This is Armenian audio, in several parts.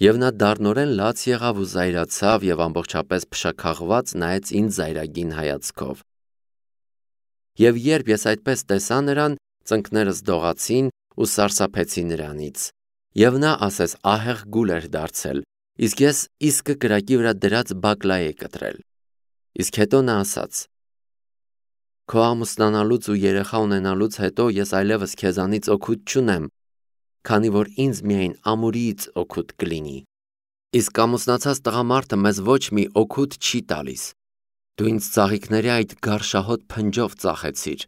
Եվ նա դառնորեն լաց եղավ ու զայրացավ և ամբողջապես փշաքաղված նայեց ինձ զայրագին հայացքով։ Եվ երբ ես այդպես տեսա նրան, ծնկներս դողացին ու սարսափեցի նրանից։ Եվ նա ասես ահեղ գուլ էր դարձել, իսկ ես իսկը կրակի վրա դրած բակլա էի կտրել։ Իսկ հետո նա ասաց. «Քո ամուսնանալուց ու երեխա ունենալուց հետո ես այլևս քեզանից օգուտ չունեմ, քանի որ ինձ միայն ամուրիից օգուտ կլինի։ Իսկ ամուսնացած տղամարդը մեզ ոչ մի օգուտ չի տալիս։ Դու ինձ ծաղիկների այդ գարշահոտ փնջով ծախեցիր։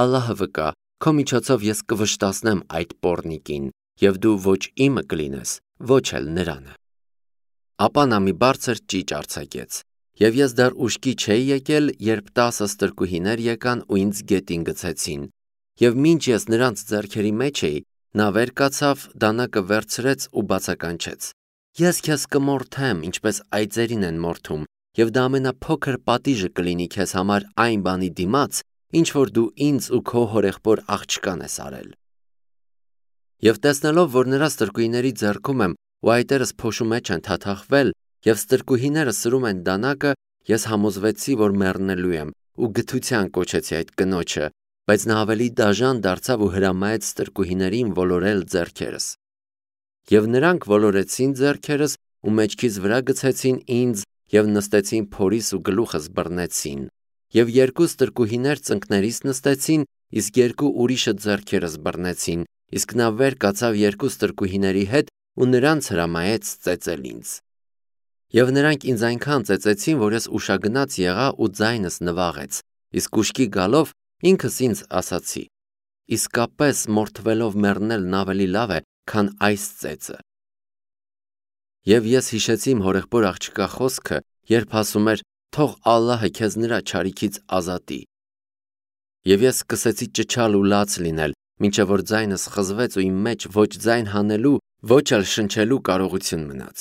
Ալլահը վկա, քո միջոցով ես կվշտացնեմ այդ պոռնիկին, և դու ոչ իմը կլինես, ոչ էլ նրանը»։ Ապա նա մի բարձր ճիճ արձակեց, և ես դեռ ուշքի չէի եկել, երբ 10 ստրկուհիներ եկան ու ինձ գետին գցեցին, և մինչ ես նրանց ձեռքերի մեջ էի, նա վեր կացավ, դանակը վերցրեց ու բացականչեց. «Ես քեզ կմորթեմ, ինչպես այծերին են մորթում, և դա ամենափոքր պատիժը կլինի քեզ համար այն բանի դիմաց, ինչ որ դու ինձ ու քո հորեղբոր աղջկան ես արել»։ Եվ տեսնելով, որ նրա ստրկուհիների ձեռքում եմ ու այտերս փոշու մեջ են թաթախվել, և ստրկուհիները սրում են դանակը, ես համոզվեցի, որ մեռնելու եմ ու գթության կոչեցի այդ կնոջը, բայց նա ավելի դաժան դարձավ ու հրամայեց ստրկուհիներին ոլորել ձեռքերս։ Եվ նրանք ոլորեցին ձեռքերս ու մեջքիս վրա գցեցին ինձ և նստեցին փորիս ու գլուխս բռնեցին։ Եվ 2 ստրկուհիներ ծնկներիս նստեցին, իսկ 2 ուրիշը ձեռքերս բռնեցին, իսկ նա վեր կացավ 2 ստրկուհիների հետ ու նրանց հրամայեց ծեծել ինձ։ Եվ նրանք ինձ այնքան ծեծեցին, որ ես ուշագնաց եղա ու ձայնս նվաղեց, իսկ ուշքի գալով ինքս ինձ ասացի. իսկապես մորթվելով մեռնելն ավելի լավ է, քան այս ծեծը։ Եվ ես հիշեցի իմ հորեղբոր աղջկա խոսքը, երբ ասում էր. «Թող Ալլահը քեզ նրա չարիքից ազատի»։ Եվ ես սկսեցի ճչալ ու լաց լինել, մինչև որ ձայնս խզվեց ու իմ մեջ ոչ ձայն հանելու, ոչ էլ շնչելու կարողություն մնաց։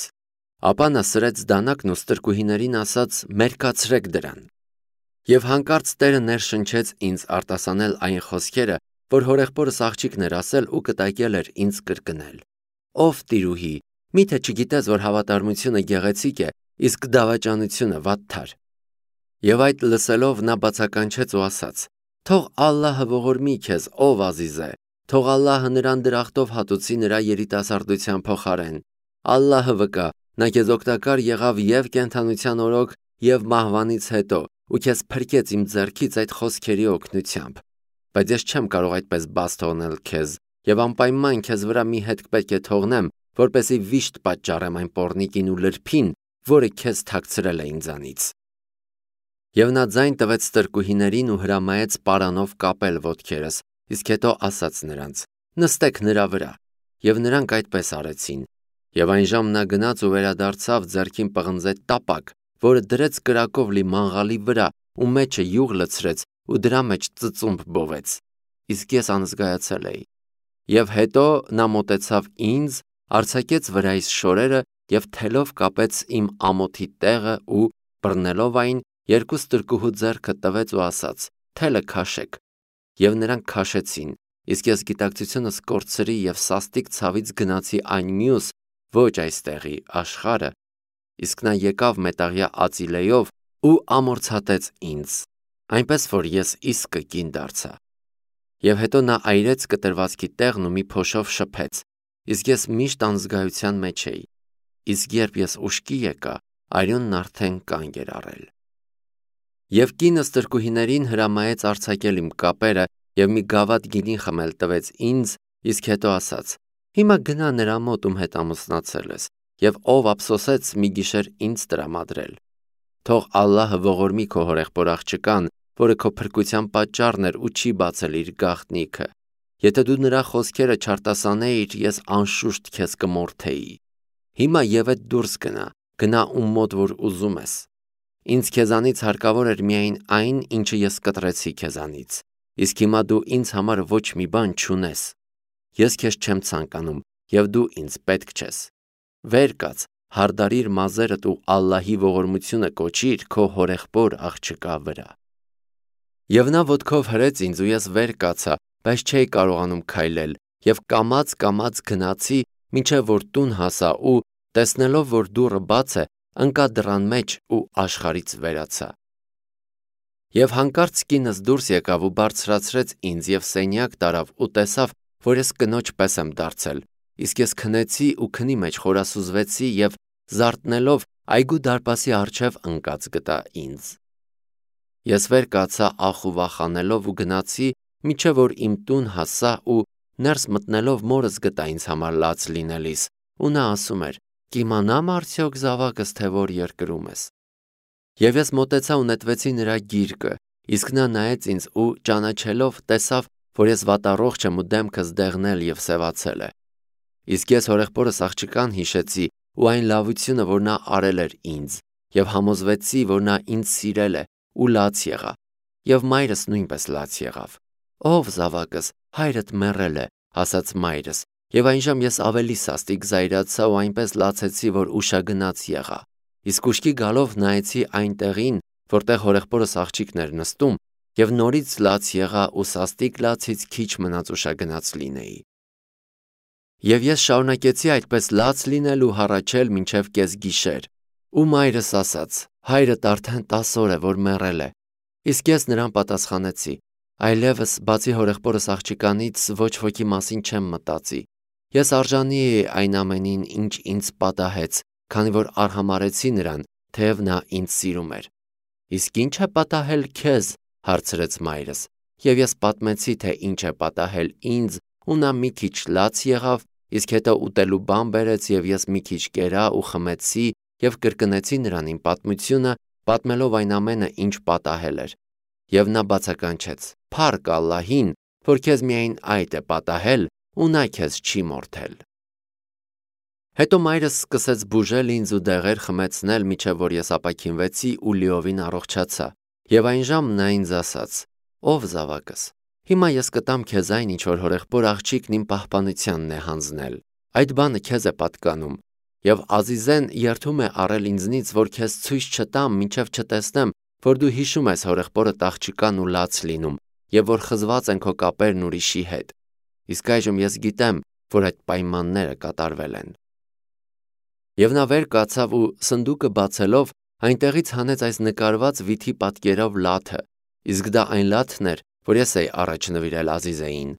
Ապա նա սրեց դանակն ու ստրկուհիներին ասաց. «Մերկացրեք դրան»։ Եվ հանկարծ Տերը ներշնչեց ինձ արտասանել այն խոսքերը, որ հորեղբորս աղջիկն էր ասել ու կտակել էր ինձ կրկնել. «Ով տիրուհի, միթե չգիտես, որ հավատարմությունը գեղեցիկ է, իսկ դավաճանությունը վատթար»։ Եվ այդ լսելով նա բացականչեց ու ասաց. «Թող Ալլահը ողորմի քեզ, ով Ազիզ է, թող Ալլահը նրան դրախտով հատուցի նրա երիտասարդության փոխարեն։ Ալլահը վկա, նա քեզ օգտակար եղավ և կենդանության օրոք, և մահվանից հետո, ու քեզ փրկեց իմ ձեռքից այդ խոսքերի օգնությամբ։ Բայց ես չեմ կարող այդպես բաց թողնել քեզ, և անպայման քեզ վրա մի հետք պետք է թողնեմ, որպեսզի վիշտ պատճառեմ այն պոռնիկին ու լրբին, որը քեզ թաքցրել է ինձանից»։ Եվ նա ձայն տվեց ստրկուհիներին ու հրամայեց պարանով կապել ոտքերս, իսկ հետո ասաց նրանց. «Նստեք նրա վրա»։ Եվ նրանք այդպես արեցին։ Եվ այն ժամ նա գնաց ու վերադարձավ, ձեռքին պղնձեց տապակ, որը դրեց կրակով լի մանգաղի վրա ու մեջը յուղ լցրեց ու դրա մեջ ծծումբ բովեց։ Իսկ ես անզգայացել էի։ Եվ հետո նա մոտեցավ ինձ, արձակեց վրայիս շորերը և թելով կապեց իմ ամոթի տեղը ու, բռնելով այն, 2 ստրկուհու ձեռքը տվեց ու ասաց. «Թելը քաշեք»։ Եվ նրանք քաշեցին, իսկ ես գիտակցությունս կորցրի և սաստիկ ցավից գնացի այն մյուս, ոչ այստեղի աշխարհը, իսկ նա եկավ մետաղյա Ածիլեով ու ամորցատեց ինձ, այնպես որ ես իսկը կին դարձա։ Եվ հետո նա այրեց կտրվածքի տեղն ու մի փոշով շփեց, իսկ ես միշտ անզգայության մեջ էի, իսկ երբ ես ուշքի եկա, արյունն արդեն կանգ էր առել։ Եվ կինը ստրկուհիներին հրամայեց արձակել իմ կապերը և մի գավաթ գինի խմել տվեց ինձ, իսկ հետո ասաց. «Հիմա գնա նրա մոտ, ում հետ ամուսնացել ես, և ով ափսոսեց մի գիշեր ինձ տրամադրել։ Թող Ալլահը ողորմի քո հորեղբոր աղջկան, որը քո փրկության պատճառն էր ու չի բացել իր գաղտնիքը։ Եթե դու նրա խոսքերը չարտասանեիր, ես անշուշտ քեզ կմորթեի։ Հիմա ևեթ դուրս գնա ում մոտ որ ուզում ես։ Ինձ քեզանից հարկավոր էր միայն այն, ինչը ես կտրեցի քեզանից, իսկ հիմա դու ինձ համար ոչ մի բան չունես։ Ես քեզ չեմ ցանկանում, և դու ինձ պետք չես։ Վեր կաց, հարդարիր մազերդ ու Ալլահի ողորմությունը կոչիր քո հորեղբոր աղջկա վրա»։ Եվ նա ոտքով հրեց ինձ ու ես վեր կացա, բայց չէի կարողանում քայլել, և կամաց գնացի մինչև որ տուն հասա ու, տեսնելով, որ դուռը բաց է, ընկա դռան մեջ ու աշխարհից վերացա։ Եվ հանկարծ կինս դուրս եկավ ու բարձրացրեց ինձ և սենյակ տարավ ու տեսավ, որ ես կնոջ պես եմ դարձել, իսկ ես քնեցի ու քնի մեջ խորասուզվեցի և զարթնելով այգու դարպասի առջև ընկած գտա ինձ։ Ես վեր կացա ախ ու վախանելով ու գնացի, մինչև որ իմ տուն հասա ու ներս մտնելով մորս գտա ինձ համար լաց լինելիս, ու նա ասում էր. «Կիմանամ արդյոք զավակս, թե որ երկրում ես»։ Եվ ես մոտեցա ու նետվեցի նրա գիրկը, իսկ նա նայեց ինձ ու ճանաչելով տեսավ, որ ես վատառողջ եմ ու դեմքս դեղնել և սևացել է։ Իսկ ես հորեղբորս աղջկան հիշեցի ու այն լավությունը, որ նա արել էր ինձ, և համոզվեցի, որ նա ինձ սիրել է ու լաց եղա, և մայրս նույնպես լաց եղավ։ «Ով զավակս, հայրդ մեռել է», ասաց մայրս, և այնժամ ես ավելի սաստիկ զայրացա ու այնպես լացեցի, որ ուշագնաց եղա, իսկ ուշքի գալով նայեցի այն տեղին, որտեղ հորեղբորս աղջիկն էր նստում, և նորից լաց եղա ու սաստիկ լացից քիչ մնաց ուշագնաց լինեի։ Եվ ես շարունակեցի այդպես լաց լինել ու հառաչել մինչև կեսգիշեր, ու մայրս ասաց. «Հայրդ արդեն 10 օր է, որ մեռել է»։ Իսկ ես նրան պատասխանեցի. «Այլևս բացի հորեղբորս աղջկանից ոչ ոքի մասին չեմ մտածի։ Ես արժանի էի այն ամենին, ինչ ինձ պատահեց, քանի որ արհամարհեցի նրան, թեև նա ինձ սիրում էր»։ «Իսկ ի՞նչ է պատահել քեզ», հարցրեց մայրս, և ես պատմեցի, թե ինչ է պատահել ինձ, ու նա մի քիչ լաց եղավ, իսկ հետո ուտելու բան բերեց և ես մի քիչ կերա ու խմեցի և կրկնեցի նրան իմ պատմությունը, պատմելով այն ամենը, ինչ պատահել էր։ Եվ նա բացականչեց. «Փառք Ալլահին, որ քեզ միայն այդ է պատահել, ու նա քեզ չի մորթել»։ Հետո մայրս սկսեց բուժել ինձ ու դեղեր խմեցնել, մինչև որ ես ապաքինվեցի ու լիովին առողջացա, և այնժամ նա ինձ ասաց. «Ով զավակս, հիմա ես կտամ քեզ այն, ինչ որ հորեղբոր աղջիկն իմ պահպանությանն է հանձնել։ Այդ բանը քեզ է պատկանում, և Ազիզեն երդում է առել ինձնից, որ քեզ ցույց չտամ, մինչև չտեսնեմ, որ դու հիշում ես հորեղբորդ աղջկան ու լաց լինում, և որ խզված են քո կապերն ուրիշի հետ։ Իսկ այժմ ես գիտեմ, որ այդ պայմանները կատարվել են»։ Եվ նա վեր կացավ ու սնդուկը բացելով, այնտեղից հանեց այս նկարված վիթի պատկերով լաթը, իսկ դա այն լաթն էր, որ ես էի առաջ նվիրել Ազիզեին,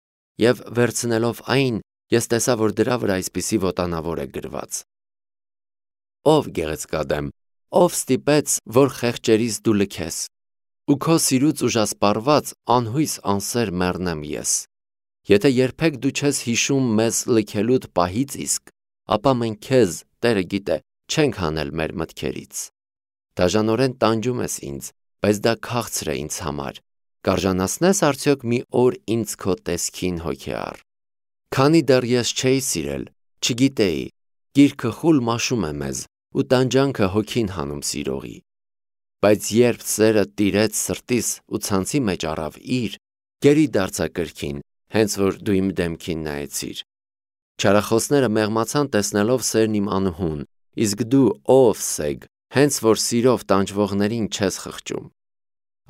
և վերցնելով այն, ես տեսա, որ դրա վրա այսպիսի ոտանավոր է գրված. «Ով գեղեցկադեմ, ով ստիպեց, որ խեղճերիս դու լքես, ու քո սիրուց ուժասպառված անհույս անսեր մեռնեմ ես։ Եթե երբեք դու չես հիշում մեզ լքելուդ պահից իսկ, ապա մենք քեզ, Տերը գիտե, չենք հանել մեր մտքերից։ Դաժանորեն տանջում ես ինձ, բայց դա քաղցր է ինձ համար։ Կարժանացնե՞ս արդյոք մի օր ինձ քո տեսքին հոգեառ։ Քանի դեռ ես չէի սիրել, չգիտեի, գիրքը խուլ մաշում է մեզ, ու տանջանքը հոգին հանում սիրողի։ Բայց երբ սերը տիրեց սրտիս ու ցանցի մեջ առավ իր, գերի դարձա կրքին, հենց որ դու իմ դեմքին նայեցիր։ Չարախոսները մեղմացան տեսնելով սերն իմ անհուն, իսկ դու, ով սեգ, հենց որ սիրով տանջվողներին չես խղճում։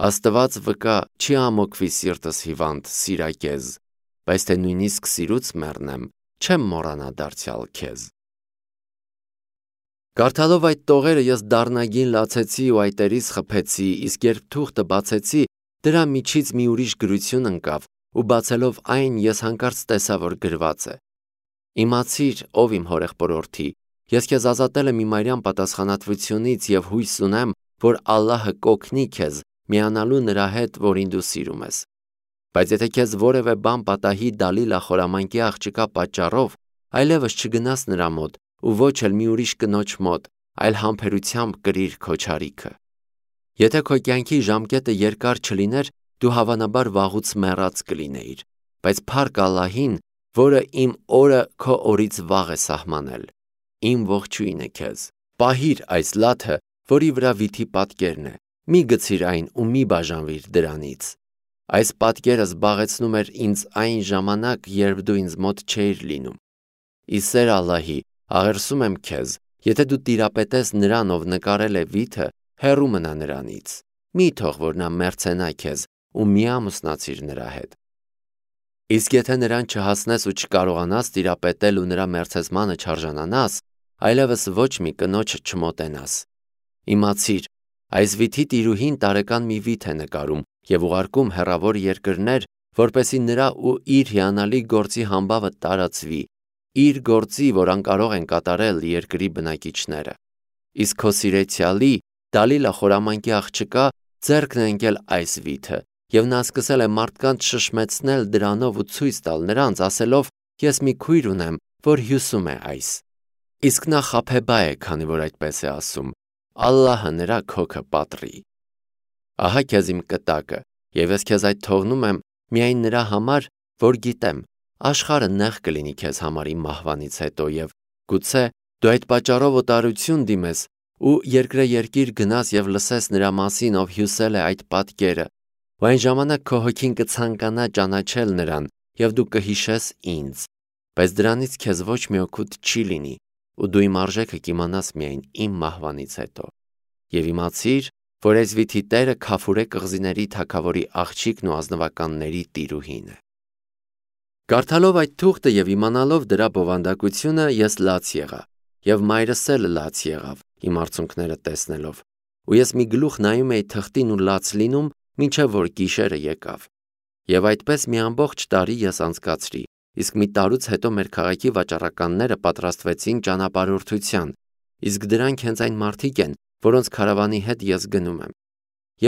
Աստված վկա, չի ամոքվի սիրտս հիվանդ, սիրակեզ, բայց թե նույնիսկ սիրուց մեռնեմ, չեմ մոռանա դարձյալ քեզ։ Կարդալով այդ տողերը ես դառնագին լացեցի ու այտերիս խփեցի, իսկ երբ թուղթը բացեցի, դրա միջից մի ուրիշ գրություն ընկավ, ու բացելով այն, ես հանկարծ տեսա, որ գրված է. «Իմացիր, ով իմ հորեղբորորդի, ես քեզ ազատել եմ իմարյան պատասխանատվությունից և հույս ունեմ, որ Ալլահը կօգնի քեզ միանալու նրա հետ, որին դու սիրում ես։ Բայց եթե քեզ որևէ բան պատահի Դալիլա խորամանկի աղջկա պատճառով, այլևս չգնաս նրա մոտ ու ոչ էլ մի ուրիշ կնոջ մոտ, այլ համբերությամբ կրիր քո չարիքը։ Եթե քո կյանքի ժամկետը երկար չլիներ, դու հավանաբար վաղուց մեռած կլինեիր, բայց փառք Ալլահին, որը իմ օրը քո օրից վաղ է սահմանել։ Իմ ողջույնը քեզ։ Պահիր այս լաթը, որի վրա վիթի պատկերն է, մի գցիր այն ու մի բաժանվիր դրանից։ Այս պատկերը զբաղեցնում էր ինձ այն ժամանակ, երբ դու ինձ մոտ չէիր լինում։ Ի սեր Ալլահի, աղերսում եմ քեզ, եթե դու տիրապետես նրան, ով նկարել է վիթը, հեռու մնա նրանից։ Մի թող որ նա մերձենա քեզ ու մի ամուսնացիր նրա հետ։ Իսկ եթե նրան չհասնես ու չկարողանաս տիրապետել ու նրա մերձեցմանը չարժանանաս, այլևս ոչ մի կնոջ չմոտենաս։ Իմացիր, այս վիթի տիրուհին տարեկան մի վիթ է նկարում և ուղարկում հեռավոր երկրներ, որպեսզի նրա ու իր հիանալի գործի համբավը տարածվի, իր գործի, որ անկարող են կատարել երկրի բնակիչները։ Իսկ քո սիրեցյալի Դալիլա խորամանկի աղջկա ձեռքն է ընկել այս վիթը, և նա սկսել է մարդկանց շշմեցնել դրանով ու ցույց տալ նրանց, ասելով. «Ես մի քույր ունեմ, որ հյուսում է այս»։ Իսկ նա խաբեբա է, քանի որ այդպես է ասում։ Ալլահը նրա քոքը պատռի։ Ահա քեզ իմ կտակը, և ես քեզ այդ թողնում եմ միայն նրա համար, որ գիտեմ, աշխարհը նեղ կլինի քեզ համար իմ մահվանից հետո, և գուցե դու այդ պատճառով օտարություն դիմես ու երկրեերկիր գնաս և լսես նրա մասին, ով հյուսել է այդ պատկերը, ու այն ժամանակ քո հոգին կցանկանա ճանաչել նրան, և դու կհիշես ինձ, բայց դրանից քեզ ոչ մի օգուտ չի լինի, ու դու իմ արժեքը կիմանաս միայն իմ մահվանից հետո։ Եվ իմացիր, որ այս վիթի տերը Քաֆուրե կղզիների թագավորի աղջիկն ու ազնվականների տիրուհին է։ Կարդալով այդ թուղթը և իմանալով դրա բովանդակությունը, ես լաց եղա, և մայրս էլ լաց եղավ իմ արցունքները տեսնելով, ու ես մի գլուխ նայում էի թղթին ու լաց լինում, մինչև որ գիշերը եկավ։ Եվ այդպես մի ամբողջ տարի ես անցկացրի, իսկ մի տարուց հետո մեր քաղաքի վաճառականները պատրաստվեցին ճանապարհորդության, իսկ դրանք հենց այն մարդիկ են, որոնց քարավանի հետ ես գնում եմ։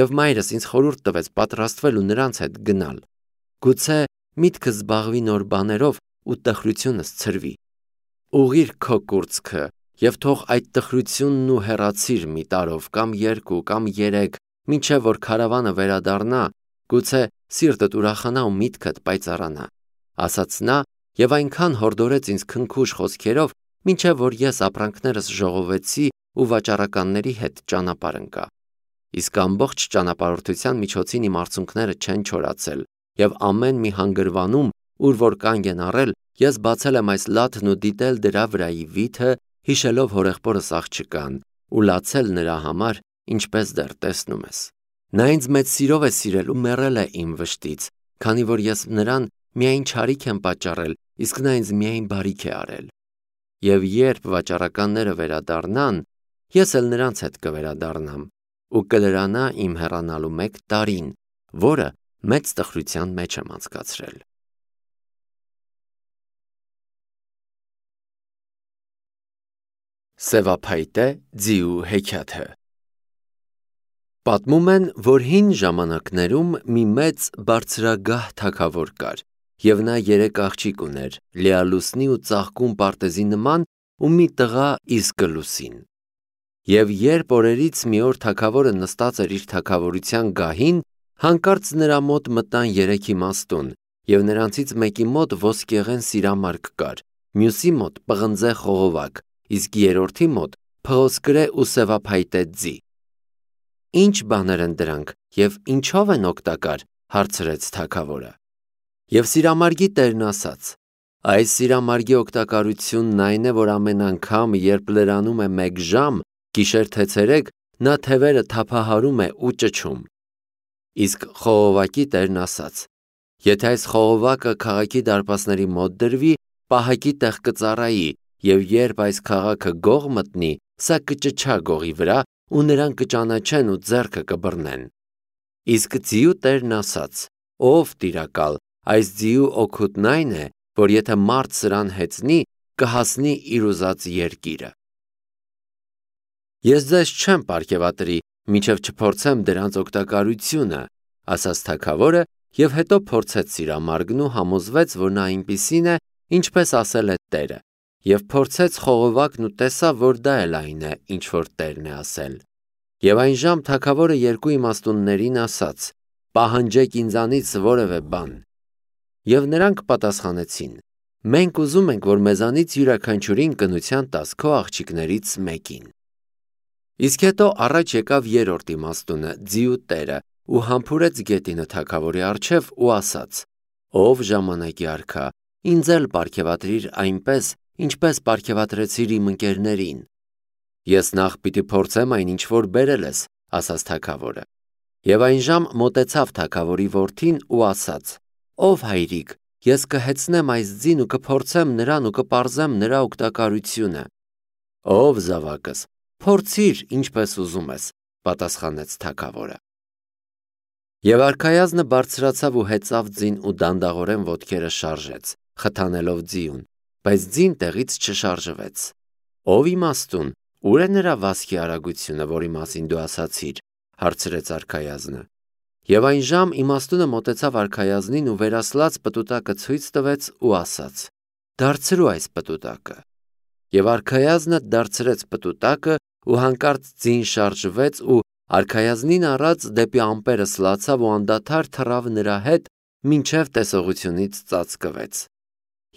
Եվ մայրս ինձ խորհուրդ տվեց պատրաստվել ու նրանց հետ գնալ։ Գուցե միտքս զբաղվի նոր բաներով ու տխրությունս ցրվի։ Ուղղիր քո կուրծքը և թող այդ տխրությունն ու հեռացիր մի տարով կամ երկու կամ երեք, մինչև որ քարավանը վերադառնա, գուցե սիրտդ ուրախանա ու միտքդ պայծառանա, ասաց նա և այնքան հորդորեց ինձ քնքուշ խոսքերով, մինչև որ ես ապրանքներս ժողովեցի ու վաճառականների հետ ճանապարհ ընկա։ Իսկ ամբողջ ճանապարհորդության միջոցին իմ արցունքները չեն չորացել, և ամեն մի հանգրվանում, ուր որ կանգ են առել, ես բացել եմ այս լաթն ու դիտել դրա վրայի վիթը, հիշելով հորեղբորս աղջկան, ու լացել նրա համար, ինչպես դեռ տեսնում ես։ Նա ինձ մեծ սիրով է սիրել ու մեռել է իմ վշտից, քանի որ ես նրան միայն չարիք եմ պատճառել, իսկ նա ինձ միայն բարիք է արել։ Եվ երբ վաճառականները վերադառնան, ես էլ նրանց հետ կվերադառնամ, ու կլրանա իմ հեռանալու 1 տարին, որը մեծ տխրության մեջ եմ անցկացրել։ Սևափայտե ձիու հեքիաթը։ Պատմում են, որ հին ժամանակներում մի մեծ բարձրագահ թագավոր կար, և նա 3 աղջիկ ուներ, լիալուսնի ու ծաղկուն պարտեզի նման ու մի տղա իսկը լուսին։ Եվ երբ օրերից մի օր թագավորը նստած էր իր թագավորության գահին, հանկարծ նրա մոտ մտան 3 իմաստուն, և նրանցից մեկի մոտ ոսկեղեն սիրամարգ կար, մյուսի մոտ պղնձե խողովակ, իսկ երրորդի մոտ փղոսկրե ու սևափայտե ձի։ Ի՞նչ բաներ են դրանք և ինչով են օգտակար, հարցրեց թագավորը։ Եվ սիրամարգի տերն ասաց. այս սիրամարգի օգտակարությունն այն է, որ ամեն անգամ, երբ լրանում է 1 ժամ, գիշեր թե ցերեկ, նա թևերը թափահարում է ու ճչում։ Իսկ խողովակի տերն ասաց. եթե այս խողովակը քաղաքի դարպասների մոտ դրվի, պահակի տեղ կծառայի, և երբ այս քաղաքը գող մտնի, սա կճչա գողի վրա, ու նրան կճանաչեն ու ձեռքը կբռնեն։ Իսկ ձիու տերն ասաց. ով տիրակալ, այս ձիու օգուտն այն է, որ եթե մարդ սրան հեծնի, կհասնի իր ուզած երկիրը։ Ես ձեզ չեմ պարգևատրի, մինչև չփորձեմ դրանց օգտակարությունը, ասաց թագավորը, և հետո փորձեց սիրամարգն ու համոզվեց, որ նա այնպիսին է, ինչպես ասել է տերը, և փորձեց խողովակն ու տեսավ, որ դա էլ այն է, ինչ որ տերն է ասել։ Եվ այն ժամ թագավորը 2 իմաստուններին ասաց. պահանջեք ինձանից որևէ բան։ Եվ նրանք պատասխանեցին. մենք ուզում ենք, որ մեզանից յուրաքանչյուրին կնության տաս քո աղջիկներից մեկին։ Իսկ հետո առաջ եկավ 3-րդ իմաստունը, ձիու տերը, ու համբուրեց գետինը թագավորի առջև ու ասաց. ով ժամանակի արքա, ինձ էլ պարգևատրիր այնպես, ինչպես պարգևատրեցիր իմ ընկերներին։ Ես նախ պիտի փորձեմ այն, ինչ որ բերել ես, ասաց թագավորը։ Եվ այն ժամ մոտեցավ թագավորի որդին ու ասաց. ով հայրիկ, ես կհեծնեմ այս ձին ու կփորձեմ նրան ու կպարզեմ նրա օգտակարությունը։ Ով զավակս, փորձիր ինչպես ուզում ես, պատասխանեց թագավորը։ Եվ արքայազնը բարձրացավ ու հեծավ ձին ու դանդաղորեն ոտքերը շարժեց, խթանելով ձիուն, բայց ձին տեղից չշարժվեց։ Ով իմաստուն, ուր է նրա վազքի արագությունը, որի մասին դու ասացիր, հարցրեց արքայազնը։ Եվ այն ժամ իմաստունը մոտեցավ արքայազնին ու վերասլաց պտուտակը ցույց տվեց ու ասաց. Դարձրու այս պտուտակը։ Եվ արքայազնը դարձրեց պտուտակը ու հանկարծ ձին շարժվեց ու արքայազնին առած դեպի ամպերը սլացավ ու անդադար թռավ նրա հետ, մինչև տեսողությունից ծածկվեց։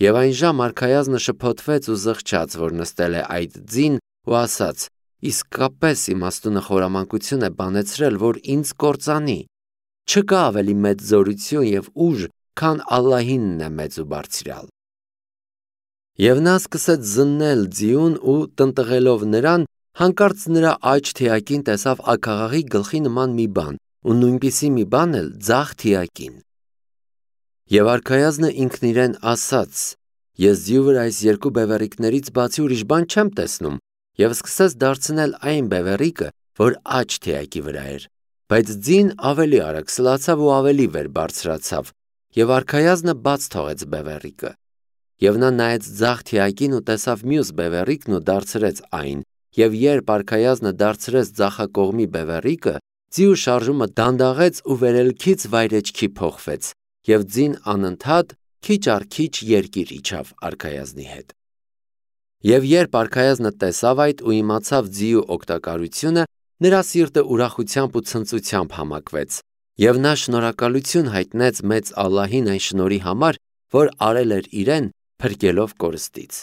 Եվ այն ժամ արքայազնը շփոթվեց ու զղջաց, որ նստել է այդ ձին ու ասաց. իսկապես իմաստունը խորամանկություն է բանեցրել, որ ինձ կործանի։ Չկա ավելի մեծ զորություն և ուժ, քան Ալլահինն է մեծ ու բարձրյալ։ Եվ նա սկսեց զննել ձիուն ու տնտղելով նրան, հանկարծ նրա աջ թիակին տեսավ աքաղաղի գլխի նման մի բան ու նույնպիսի մի բան էլ ձախ թիակին։ Եվ արքայազնը ինքն իրեն ասաց. ես ձիու վրա այս երկու բևեռիկներից բացի ուրիշ բան չեմ տեսնում, և սկսեց դարձնել այն բևեռիկը, որ աջ թիակի վրա էր, բայց ձին ավելի արագ սլացավ ու ավելի վեր բարձրացավ, և արքայազնը բաց թողեց բևեռիկը։ Եվ նա նայեց ձախ թիակին ու տեսավ մյուս բևեռիկն ու դարձրեց այն, և երբ արքայազնը դարձրեց ձախակողմի բևեռիկը, ձիու շարժումը դանդաղեց ու վերելքից վայրէջքի փոխվեց, և ձին անընդհատ քիչ առ քիչ երկիր իջավ արքայազնի հետ։ Եվ երբ արքայազնը տեսավ այդ ու իմացավ ձիու օգտակարությունը, նրա սիրտը ուրախությամբ ու ցնծությամբ համակվեց, և նա շնորհակալություն հայտնեց մեծ Ալլահին այն շնորհի համար, որ արել էր իրեն, փրկելով կորստից։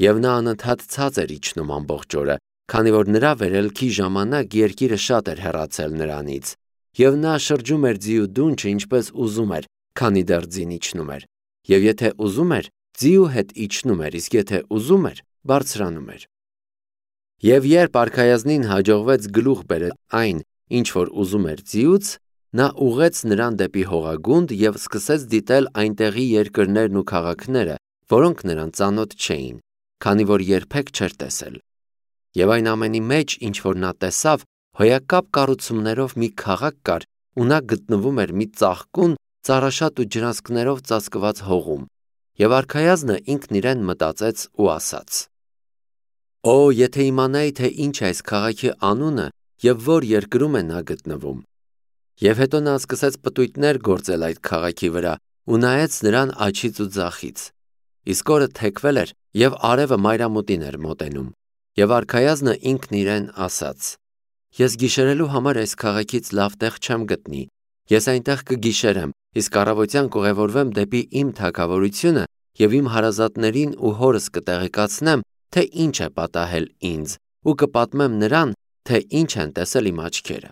Եվ նա անընդհատ ցած էր իջնում ամբողջ օրը, քանի որ նրա վերելքի ժամանակ երկիրը շատ էր հեռացել նրանից, և նա շրջում էր ձիու դունչը ինչպես ուզում էր, քանի դեռ ձին իջնում էր, և եթե ուզում էր, ձիու հետ իջնում էր, իսկ եթե ուզում էր, բարձրանում էր։ Եվ երբ արքայազնին հաջողվեց գլուխ բերել այն, ինչ որ ուզում էր ձիուց, նա ուղղեց նրան դեպի հողագունդ և սկսեց դիտել այնտեղի երկրներն ու քաղաքները, որոնք նրան ծանոթ չէին, քանի որ երբեք չէր տեսել։ Եվ այն ամենի մեջ, ինչ որ նա տեսավ, հոյակապ կառուցումներով մի քաղաք կար, ու նա գտնվում էր մի ծաղկուն, ծառաշատ ու ջրանցքներով ծածկված հողում։ Եվ արքայազնը ինքն իրեն մտածեց ու ասաց. Օ, եթե իմանայի, թե ինչ է այս քաղաքի անունը և որ երկրում է նա գտնվում։ Եվ հետո նա սկսեց պտույտներ գործել այդ քաղաքի վրա ու նայեց նրան աջից ու ձախից։ Իսկ օրը թեքվել էր, և արևը մայրամուտին էր մոտենում։ Եվ արքայազնը ինքն իրեն ասաց. ես գիշերելու համար այս քաղաքից լավ տեղ չեմ գտնի։ Ես այնտեղ կգիշերեմ, իսկ առավոտյան կուղևորվեմ դեպի իմ թագավորությունը և իմ հարազատներին ու հորս կտեղեկացնեմ, թե ինչ է պատահել ինձ, ու կպատմեմ նրան, թե ինչ են տեսել իմ աչքերը։